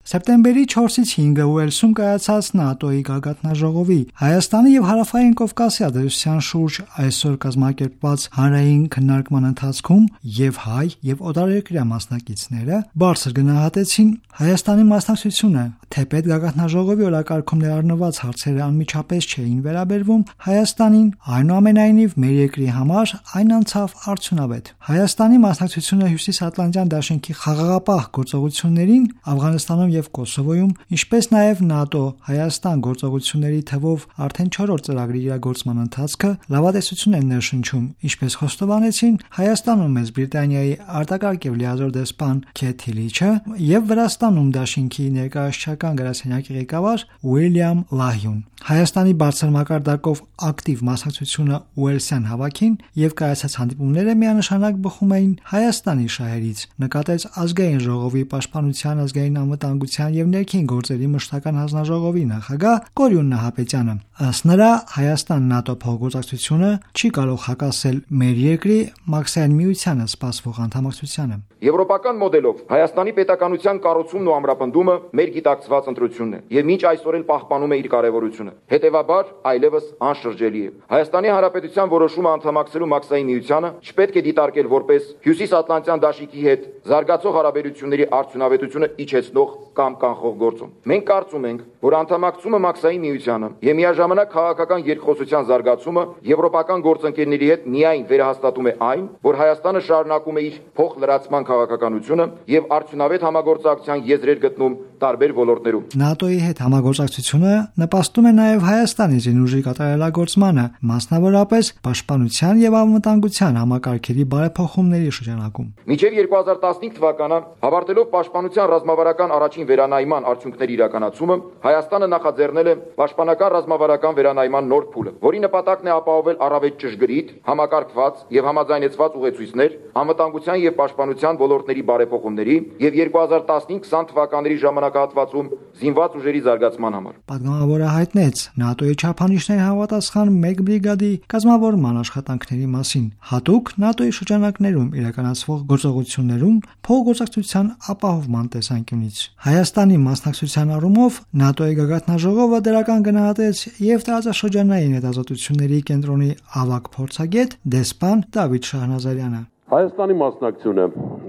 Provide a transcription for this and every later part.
Սեպտեմբերի 4-ից 5-ը Ուելսում կայացած ՆԱՏՕ-ի գագաթնաժողովի Հայաստանի եւ Հարավային Կովկասի ազդեցության շուրջ այսօր կազմակերպված հանրային քննարկման ընթացքում եւ հայ եւ օտարերկրյա մասնակիցները բարձր գնահատեցին Հայաստանի մասնակցությունը, թեպետ գագաթնաժողովի օրակարգում ներառնված հարցերը անմիջապես չէին վերաբերվում Հայաստանին, այնուամենայնիվ մեր երկրի համար այն անցավ արդյունավետ։ Հայաստանի մասնակցությունը Հյուսիսատլանտյան դաշինքի խաղաղապահ գործողություններին Աֆղանստանում եւ Կոսովոյում, ինչպես նաեւ ՆԱՏՕ-Հայաստան գործողությունների թվով արդեն 4-րդ ծրագրի իրագործման ընթացքը լավատեսություն են ներշնչում, ինչպես խոստովանեցին Հայաստանում Մեծ Բրիտանիայի արտակարգ եւ լիազոր դեսպան Քեթ Հիլիչը եւ Վրաստանում դաշինքի ներկայացուցչական գրասենյակի ղեկավար Ուիլյամ Լահյուն։ Հայաստանի բարձր մակարդակով ակտիվ մասնակցությունը Ուելսյան հավաքին եւ կայացած հանդիպումները միանշանակ բխում էին Հայաստանի շահերից, նկատեց ազգային ժողովի պաշտպանության, ազգային անվտանգության եւ ներքին գործերի մշտական հանձնաժողովի նախագահ Կորյուն Նահապետյանը։ Ըստ նրա, Հայաստան-ՆԱՏՕ փոխգործակցությունը չի կարող հակասել մեր երկրի Մաքսային միությանը սպասվող անդամակցությանը։ Եվրոպական մոդելով Հայաստանի պետականության կառուցումն ու ամրապնդումը մեր գիտակցված ընտրությունն է եւ մինչ այսօր էլ պահպանում է իր կարեւորությունը։ Հետևաբար, այլևս անշրջելի է։ Հայաստանի Հանրապետության որոշումը անդամակցելու Մաքսային միությանը չպետք է դիտարկել որպես Հյուսիսատլանտյան դաշինքի հետ զարգացող հարաբերությունների արդյունավետությունը իջեցնող կամ կանխող գործոն։ Մենք կարծում ենք, որ անդամակցումը Մաքսային միությանը եւ միաժամանակ քաղաքական երկխոսության զարգացումը եվրոպական գործընկերների հետ միայն վերահաստատում է այն, որ Հայաստանը շարունակում է իր փոխլրացման քաղաքականությունը եւ արդյունավետ համագործակցության եզրեր գտնում տարբեր ոլորտներում։ ՆԱՏՕ-ի հետ համագործակցությունը նպաստում է նաեւ Հայաստանի զինուժի կատարելագործմանը, մասնավորապես պաշտպանության եւ անվտանգության համակարգերի բարեփոխումների շրջանակում։ Մինչև 2015 թվականը հավարտելով պաշտպանության ռազմավարական առաջին վերանայման արդյունքների իրականացումը, Հայաստանը նախաձեռնել է պաշտպանական ռազմավարական վերանայման նոր փուլը, որի նպատակն է ապահովել առավել ճշգրիտ, համակարգված եւ համաձայնեցված ուղեցույցներ անվտանգության եւ պաշտպանության ոլորտների բարեփոխումների եւ 2015-20 թվականների ժամանակահատվածում զինված ուժերի զարգացման համար։ Պատգամավորը հայտնեց ՆԱՏՕ-ի չափանիշների համապատասխան 1 բրիգադի կազմավորման աշխատանքների մասին, հատուկ ՆԱՏՕ-ի շրջանակներում իրականացվող գործողություններում փոխգործակցության ապահովման տեսանկյունից։ Հայաստանի մասնակցության առումով ՆԱՏՕ-ի գագաթնաժողովը դրական գնահատեց եւ տարածաշրջանային հետազոտությունների կենտրոնի ավագ փորձագետ դեսպան Դավիթ Շահնազարյանը։ Հայաստանի մասնակցությունը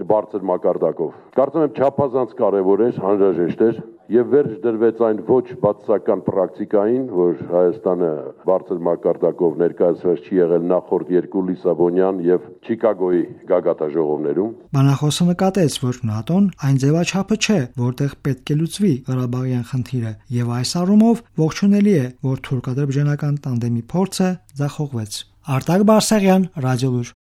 բարձր մակարդակով կարծում եմ չափազանց կարևոր էր, անհրաժեշտ էր եւ վերջ դրվեց այն ոչ բացասական պրակտիկային, որ Հայաստանը բարձր մակարդակով ներկայացված չի եղել նախորդ երկու Լիսաբոնյան եւ Չիկագոյի գագաթնաժողովներում։ Բանախոսը նկատեց, որ ՆԱՏՕ-ն այն ձևաչափը չէ, որտեղ պետք է լուծվի Ղարաբաղյան խնդիրը, եւ այս առումով ողջունելի է, որ թուրք-ադրբեջանական տանդեմի փորձը ձախողվեց։ Արտակ Բարսեղյան, Ռադիոլուր։